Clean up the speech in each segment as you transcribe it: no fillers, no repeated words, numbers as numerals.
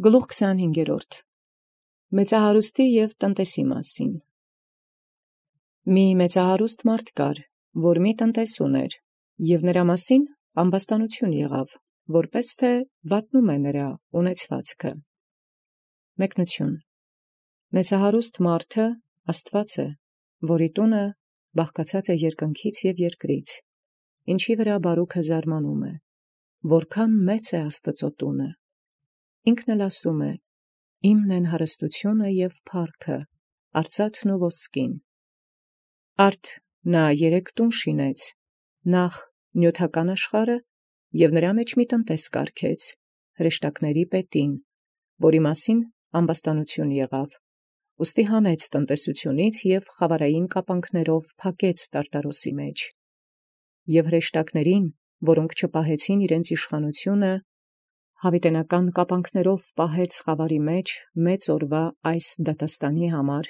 Գլուխ 25. Մեծահարուստի և տնտեսի մասին։ Մի մեծահարուստ մարդ կար, որ մի տնտես ուներ, և նրա մասին ամբաստանություն եղավ, որպես թե վատնում է նրա ունեցվածքը։ Մեկնություն. Մեծահարուստ մարդը Աստված է, որի տունը բաղկացած է երկնքից և երկրից, ինչի վրա բարուքը զարմանում է, որքան մեծ է Աստծո տունը։ Ինքն էլ ասում է. «Իմն են հարստությունը և փառքը, արծաթն ու ոսկին»։ Արդ նա 3 տուն շինեց, նախ նյութական աշխարհը և նրա մեջ մի տնտես կարգեց, հրեշտակների պետին, որի մասին ամբաստանություն եղավ, ուստի հանեց տնտեսությունից և խավարային կապանքներով փակեց տարտարոսի մեջ։ Եւ հրեշտակներին, որոնք չպահեցին իրենց իշխանությունը, հավիտենական կապանքներով պահեց խավարի մեջ մեծ օրվա այս դատաստանի համար։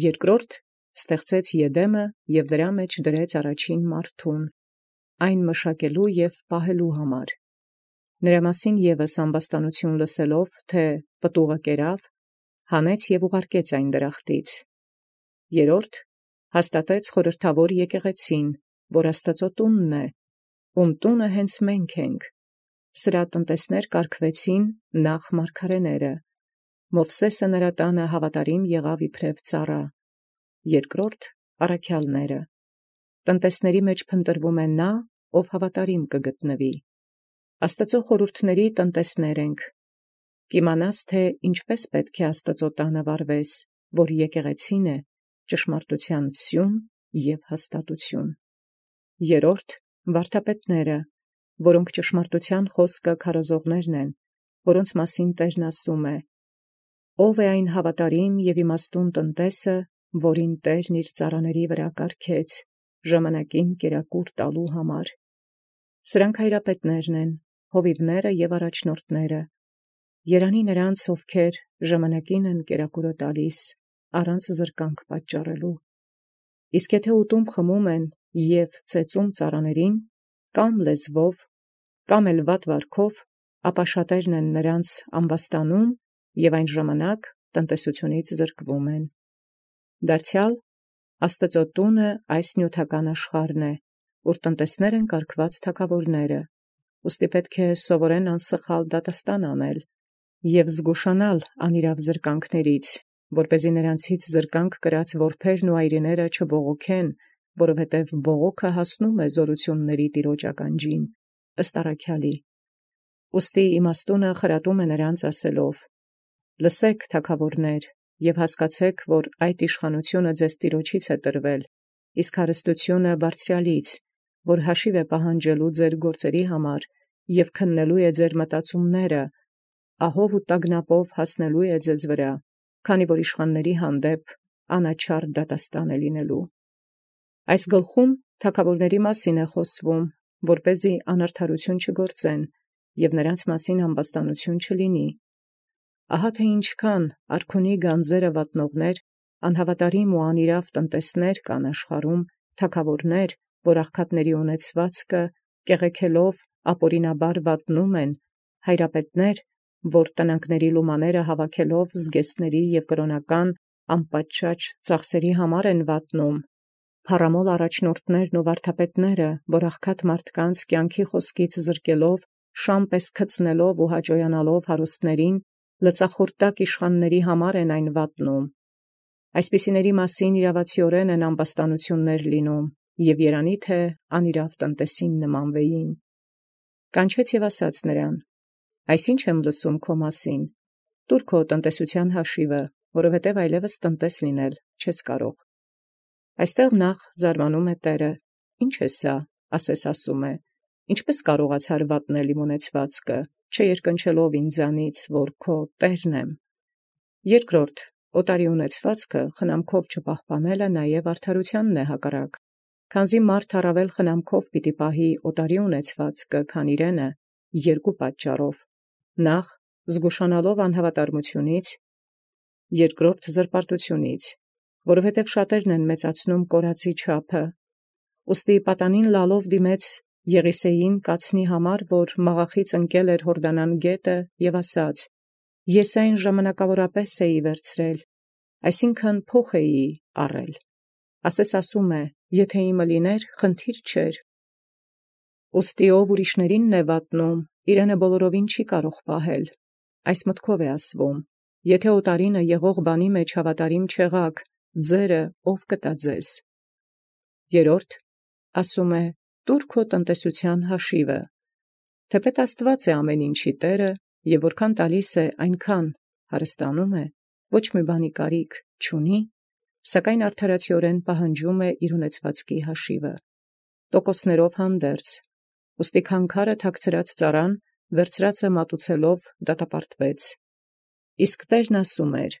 Երկրորդ ստեղծեց Եդեմը և դրա մեջ դրեց առաջին մարդուն, այն մշակելու և պահելու համար։ Նրա մասին ևս ամբաստանություն լսելով, թե պտուղը կերավ, հանեց և ուղարկեց այն դրախտից։ Երրորդ հաստատեց խորհրդավոր եկեղեցին, որ Աստծո տունն է, ում տունը հենց մենք ենք։ Սրա տնտեսներ կարգվեցին նախ մարգարեները, Մովսէսը նրա տանը հավատարիմ եղավ իբրև ծառա, երկրորդ առաքյալները։ Տնտեսների մեջ փնտրվում է նա, ով հավատարիմ կգտնվի։ Աստծո խորհուրդների տնտեսներ ենք։ Կիմանաս, թե ինչպես պետք է Աստծո տանը վարվես, որ եկեղեցին է, ճշմարտության սյուն և հաստատություն։ Երրորդ վարդապետները, որոնք ճշմարտության խոսքը քարոզողներն են, որոնց մասին Տերն ասում է. «Ով է այն հավատարիմ և իմաստուն տնտեսը, որին Տերն իր ծառաների վրա կարգեց, ժամանակին կերակուր տալու համար»։ Սրանք հայրապետներն են, հովիվները և առաջնորդները։ Երանի նրանց, ովքեր ժամանակին են կերակուրը տալիս, առանց զրկանք պատճառելու։ Իսկ եթե ուտում խմում են և ծեծում ծառաներին, կամ լեզվով, կամ էլ վատ վարքով, ապա շատերն են նրանց ամբաստանում և այն ժամանակ տնտեսությունից զրկվում են։ Դարձյալ Աստծո տունը այս նյութական աշխարհն է, ուր տնտեսներ են կարգված թագավորները, ուստի պետք է սովորեն անսխալ դատաստան անել և զգուշանալ անիրավ զրկանքներից, որպեսզի նրանցից զրկանք կրած որբերն ու այրիները չբողոքեն, որովհետև բողոքը հասնում է զորությունների Տիրոջ ականջին, ըստ առաքյալի։ Ուստի իմաստունը խրատում է նրանց ասելով. «Լսեք, թագավորներ, և հասկացեք, որ այդ իշխանությունը ձեզ Տիրոջից է տրվել, իսկ հարստությունը Բարձրյալից, որ հաշիվ է պահանջելու ձեր գործերի համար և քննելու է ձեր մտածումները, ահով ու տագնապով հասնելու է ձեզ վրա, քանի որ իշխանների հանդեպ անաչառ դատաստան է լինելու»։ Այս գլխում թագավորների մասին է խոսվում, որպեսզի անարդարություն չգործեն և նրանց մասին ամբաստանություն չլինի։ Ահա թե ինչքան արքունի գանձերը վատնողներ, անհավատարիմ ու անիրավ տնտեսներ կան աշխարհում, թագավորներ, որ աղքատների ունեցվածքը կեղեքելով ապօրինաբար վատնում են, հայրապետներ, որ տնանքների լումաները հավաքելով զգեստների և կրոնական անպատշաճ ծախսերի համար են վատնում, փառամոլ առաջնորդներն ու վարդապետները, որ աղքատ մարդկանց կյանքի խոսքից զրկելով, շան պես գցնելով ու հաճոյանալով հարուստներին, լծախորտակ իշխանների համար են այն վատնում։ Այսպիսիների մասին իրավացիորեն են ամբաստանություններ լինում, և երանի թե անիրավ տնտեսին նմանվեին։ Կանչեց և ասաց նրան. «Այսինչ եմ լսում քո մասին, տուր քո տնտեսության հաշիվը, որովհետև այլևս տնտես լինել չես կարող»։ Այստեղ նախ զարմանում է Տերը. «Ինչ է սա, ասես ասում է, ինչպես կարողացար վատնել իմ ունեցվածքը, չերկնչելով ինձանից, որ քո Տերն եմ»։ Երկրորդ, օտարի ունեցվածքը խնամքով չպահպանելը նաև արդարությանն է հակառակ, քանզի մարդ առավել խնամքով պիտի պահի օտարի ունեցվածքը, քան իրենը, 2 պատճառով. նախ զգուշանալով անհավատարմությունից, երկրորդ զրպարտությունից, որովհետև շատերն են մեծացնում կորածի չափը։ Ուստի պատանին լալով դիմեց Եղիսեին կացնի համար, որ մաղախից ընկել էր Հորդանան գետը, և ասաց. Ես այն ժամանակավորապես էի վերցրել, այսինքն փոխ էի առել, ասես ասում է, եթե իմը լիներ, խնդիր չէր։ Ուստի ով ուրիշներինն է վատնում, իրենը բոլորովին չի կարող պահել, այս մտքով է ասվում, եթե օտարինը եղող բանի մեջ հավատարիմ չեղաք, ձերը ով կտա ձեզ։ Երորդ, ասում է, տուր քո տնտեսության հաշիվը, թեպետ Աստված է ամեն ինչի Տերը, և որքան տալիս է, այնքան հարստանում է, ոչ մի բանի կարիք չունի, սակայն արդարացիորեն պահանջում է իր ունեցվածքի հաշիվը, տոկոսներով հանդերձ, ուստի քանքարը թաքցրած ծառան, վերցրածը մատուցելով դատապարտվեց։ Իսկ Տերն ասում էր.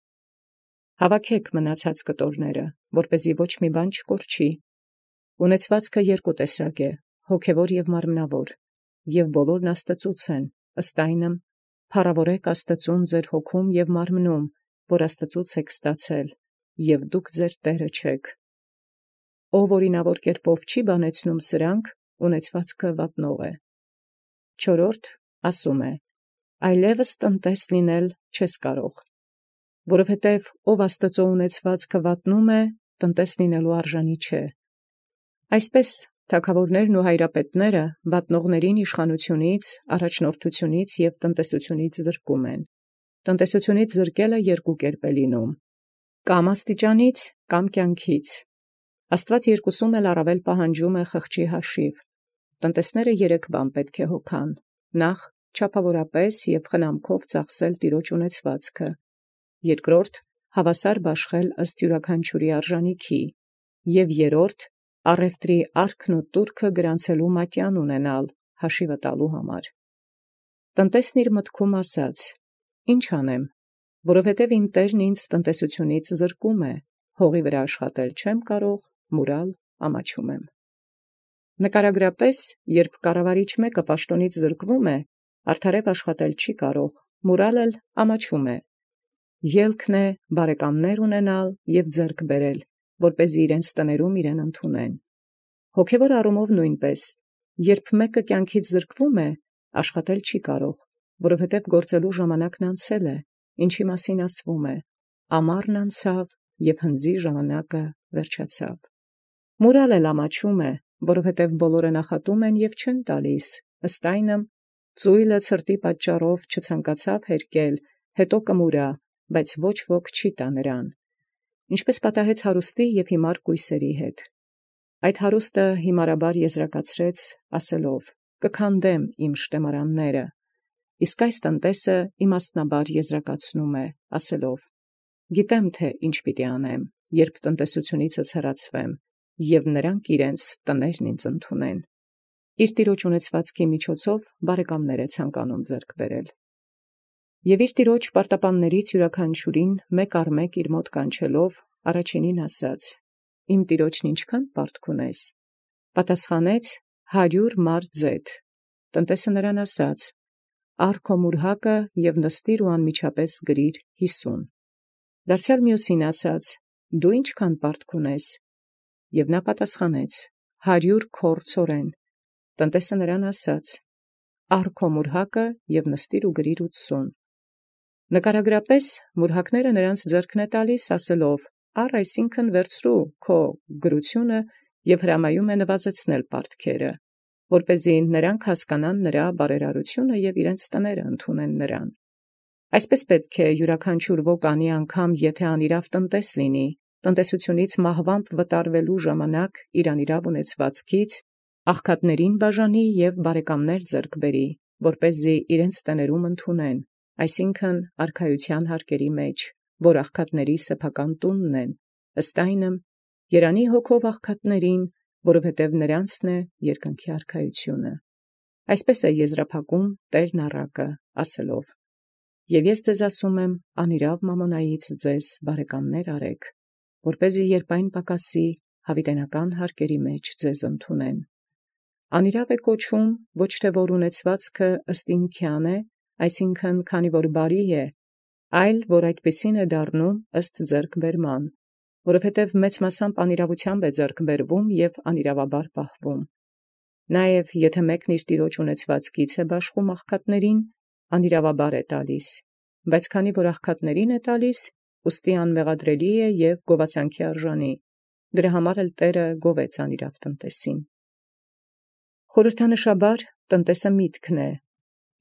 հավաքեք մնացած կտորները, որպեսզի ոչ մի բան չկորչի։ Ունեցվածքը երկու տեսակ է, հոգևոր և մարմնավոր, և բոլորն Աստծուց են, ըստ այնմ, փառավորեք Աստծուն ձեր հոգում և մարմնում, որ Աստծուց եք ստացել, և դուք ձեր Տերը չեք։ Ով օրինավոր կերպով չի բանեցնում սրանք, ունեցվածքը վատնող է։ Չորրորդ, ասում է, այլևս տնտես լինել չես կարող, որովհետև ով Աստծո ունեցվածքը վատնում է, տնտես լինելու արժանի չէ։ Այսպես թագավորներն ու հայրապետները վատնողներին իշխանությունից, առաջնորդությունից և տնտեսությունից զրկում են։ Տնտեսությունից զրկելը երկու կերպ է լինում. կամ աստիճանից, կամ կյանքից։ Աստված երկուսում էլ առավել պահանջում է խղճի հաշիվ։ Տնտեսները երեք բան պետք է հոգան. նախ, չափավորապես և խնամքով ծախսել տիրոջ ունեցվածքը, երկրորդ, հավասար բաշխել ըստ յուրաքանչյուրի արժանիքի, և երրորդ, առևտրի արքն ու տուրքը գրանցելու մատյան ունենալ հաշիվը տալու համար։ Տնտեսն իր մտքում ասաց. ինչ անեմ, որովհետև իմ Տերն ինձ տնտեսությունից զրկում է, հողի վրա աշխատել չեմ կարող, մուրալ ամաչում եմ։ Նկարագրապես, երբ կառավարիչ մեկը պաշտոնից զրկվում է, արդարև աշխատել չի կարող, մուրալ էլ ամաչում է։ Ելքն է բարեկամներ ունենալ և ձեռք բերել, որպեսզի իրենց տներում իրեն ընդունեն։ Հոգևոր առումով նույնպես, երբ մեկը կյանքից զրկվում է, աշխատել չի կարող, որովհետև գործելու ժամանակն անցել է, ինչի մասին ասվում է. ամառն անցավ և հնձի ժամանակը վերջացավ։ Մուրալ էլ ամաչում է, որովհետև բոլորը նախատում են և չեն տալիս, ըստ այնմ, ծույլը ցրտի պատճառով չցանկացավ հերկել, հետո կմուրա, բայց ոչ ոք չի տա նրան։ Ինչպես պատահեց հարուստի և հիմար կույսերի հետ։ Այդ հարուստը հիմարաբար եզրակացրեց, ասելով. կքանդեմ իմ շտեմարանները, իսկ այս տնտեսը իմաստնաբար եզրակացնում է, ասելով. գիտեմ, թե ինչ պիտի անեմ, երբ տնտեսությունիցս հեռացվեմ, և նրանք իրենց տներն ինձ ընդունեն։ Իր տիրոջ ունեցվածքի միջոցով բարեկամներ է ցանկանում ձեռք բերել։ Եվ իր տիրոջ պարտապաններից յուրաքանչյուրին մեկ առ մեկ իր մոտ կանչելով, առաջինին ասաց. իմ տիրոջն ինչքան պարտք ունես։ Պատասխանեց 100 մար ձեթ։ Տնտեսը նրան ասաց. առ քո մուրհակը և նստիր ու անմիջապես գրիր 50։ Դարձյալ մյուսին ասաց. դու ինչքան պարտք ունես։ Եվ նա պատասխանեց. 100 քոր ցորեն։ Տնտեսը նրան ասաց. առ քո մուրհակը և նստիր ու գրիր 80։ Նկարագրապես մուրհակները նրանց ձեռքն է տալիս, ասելով. առ այսինքն վերցրու քո գրությունը և հրամայում է նվազեցնել պարտքերը, որպեսզի նրանք հասկանան նրա բարերարությունը և իրենց տները ընդունեն նրան։ Այսպես պետք է յուրաքանչյուր ոք անի անգամ, եթե անիրավ տնտես լինի, տնտեսությունից մահվամբ վտարվելու ժամանակ իր անիրավ ունեցվածքից աղքատներին բաժանի և բարեկամներ ձեռք բերի, որպեսզի իրենց տներում ընդունեն, այսինքն արքայության հարկերի մեջ, որ աղքատների սեփական տունն են, ըստ այնմ, երանի հոգով աղքատներին, որովհետև նրանցն է երկնքի արքայությունը։ Այսպես է եզրափակում Տերն առակը, ասելով. և ես ձեզ ասում եմ, անիրավ մամոնայից ձեզ բարեկամներ արեք, որպեսզի երբ այն պակասի, հավիտենական հարկերի մեջ ձեզ ընդունեն։ Անիրավ է կոչվում, ոչ թե որ ունեցվածքը ըստ ինքյան է, այսինքն քանի որ բարի է, այլ որ այդպիսին է դառնում ըստ ձեռքբերման, որովհետև մեծ մասամբ անիրավությամբ է ձեռք բերվում և անիրավաբար պահվում։ Նաև եթե մեկն իր տիրոջ ունեցվածքից է բաշխում աղքատներին, անիրավաբար է տալիս, բայց քանի որ աղքատներին է տալիս, ուստի անմեղադրելի է և գովասանքի արժանի, դրա համար էլ Տէրը գովեց անիրաւ տնտեսին։ Խորհրդանշաբար տնտեսը միտքն է,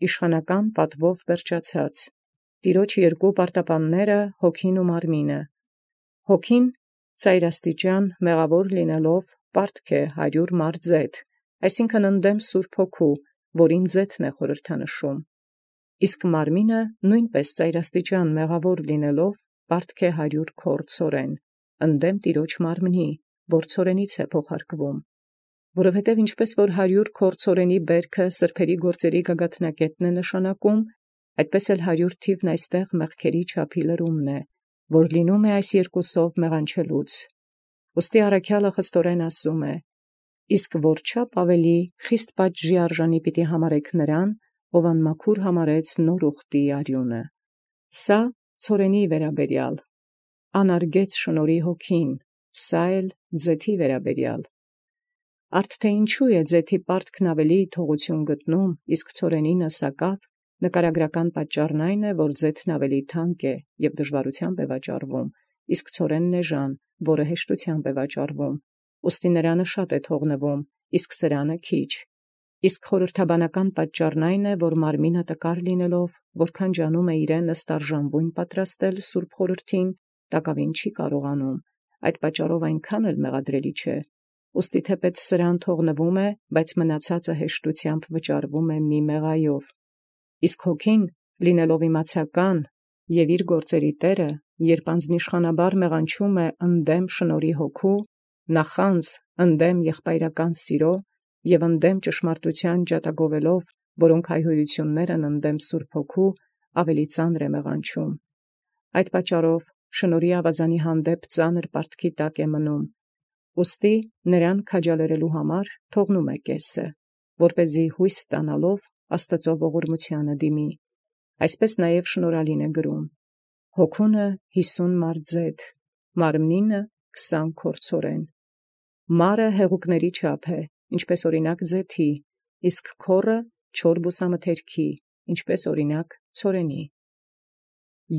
իշխանական պատվով վերջացած, Տիրոջ երկու պարտապանները հոգին ու մարմինը։ Հոգին ծայրաստիճան մեղավոր լինելով պարտք է 100 մար ձեթ, այսինքն ընդդեմ Սուրբ Հոգու, որին ձեթն է խորհրդանշում։ Իսկ մարմինը նույնպես ծայրաստիճան մեղավոր լինելով պարտք է 100 քոռ ցորեն, ընդդեմ Տիրոջ մարմնի, որ ցորենից է փոխարկվում։ Որովհետև ինչպես որ 100 քոռ ցորենի բերքը սրբերի գործերի գագաթնակետն է նշանակում, այդպես էլ 100 թիվն այստեղ մեղքերի չափի լրումն է, որ լինում է այս երկուսով մեղանչելուց։ Ուստի առաքյալը խստորեն ասում է. իսկ որչափ ավելի խիստ պատժի արժանի պիտի համարեք նրան, ով անմաքուր համարեց նոր ուխտի արյունը։ Սա ցորենի վերաբերյալ, անարգեց շնորհի հոգին, սա էլ ձեթի վերաբերյալ։ Արդ թե ինչու է ձեթի պարտքն ավելի թողություն գտնում, իսկ ցորենինը սակավ, նկարագրական պատճառն այն է, որ ձեթն ավելի թանկ է և դժվարությամբ է վաճառվում, իսկ ցորենն էժան, որը հեշտությամբ է վաճառվում, ուստի նրանը շատ է թողնվում, իսկ սրանը քիչ։ Իսկ խորհրդաբանական պատճառն այն է, որ մարմինը տկար լինելով, որքան ջանում է իրեն ըստ արժանվույն պատրաստել Սուրբ Խորհրդին, տակավին չի կարողանում, այդ պատճառով այնքան էլ մեղադրելի չէ։ Ուստի թեպետ սրան թողնվում է, բայց մնացածը հեշտությամբ վճարվում է մի մեղայով։ Իսկ հոգին, լինելով իմացական և իր գործերի տերը, երբ անձնիշխանաբար մեղանչում է ընդդեմ շնորհի Հոգու, նախանձ ընդդեմ եղբայրական սիրո և ընդդեմ ճշմարտության ջատագովելով, որոնք հայհոյություններ են ընդդեմ Սուրբ Հոգու, ավելի ծանր է մեղանչում։ Այդ պատճառով շնորհի ավազանի հանդեպ ծանր պարտքի տակ է մնում։ Ուստի նրան քաջալերելու համար թողնում է կեսը, որպեսզի հույս ստանալով Աստծո ողորմությանը դիմի։ Այսպես նաև շնորհալին է գրում. հոգունը 50 մար ձեթ, մարմնինը 20 քոռ ցորեն։ Մարը հեղուկների չափ է, ինչպես օրինակ ձեթի, իսկ քոռը չոր բուսամթերքի, ինչպես օրինակ ցորենի։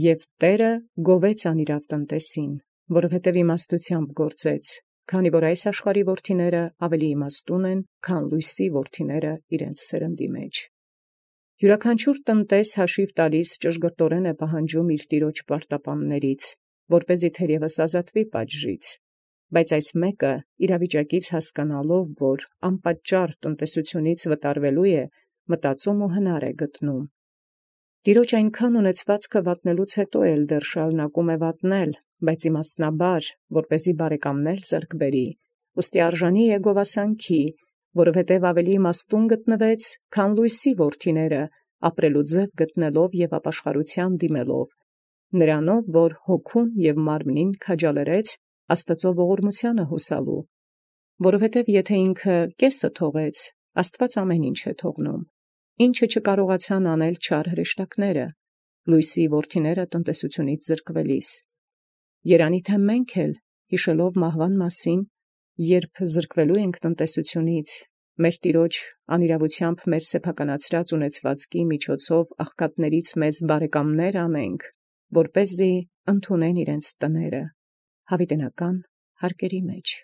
Եվ Տէրը գովեց անիրաւ տնտեսին, որովհետև իմաստությամբ գործեց, քանի որ այս աշխարհի որդիները ավելի իմաստուն են, քան լույսի որդիները իրենց սերնդի մեջ։ Յուրաքանչյուր տնտես հաշիվ տալիս ճշգրտորեն է պահանջում իր տիրոջ պարտապաններից, որպեսզի թերևս ազատվի պատժից, բայց այս մեկը իրավիճակից հասկանալով, որ անպատճառ տնտեսությունից վտարվելու է, մտածում ու հնար է գտնում։ Տիրոջ այնքան ունեցվածքը վատնելուց հետո էլ դեռ շարունակում է վատնել, բայց իմաստնաբար, որպեսզի բարեկամներ ձեռք բերի, ուստի արժանի է գովասանքի, որովհետև ավելի իմաստուն գտնվեց, քան լույսի որդիները, ապրելու ձև գտնելով և ապաշխարության դիմելով, նրանով, որ հոգուն և մարմնին քաջալերեց Աստծո ողորմությանը հուսալու, որովհետև եթե ինքը կեսը թողեց, Աստված ամեն ինչ է թողնում, ինչը չկարողացան անել չար հրեշտակները, լույսի որդիները տնտեսությունից զրկվելիս։ Երանի թե մենք էլ, հիշելով մահվան մասին, երբ զրկվելու ենք տնտեսությունից, մեր Տիրոջ անիրավությամբ մեր սեփականացրած ունեցվածքի միջոցով աղքատներից մեզ բարեկամներ անենք, որպեսզի ընդունեն իրենց տները, հավիտենական հարկերի մեջ։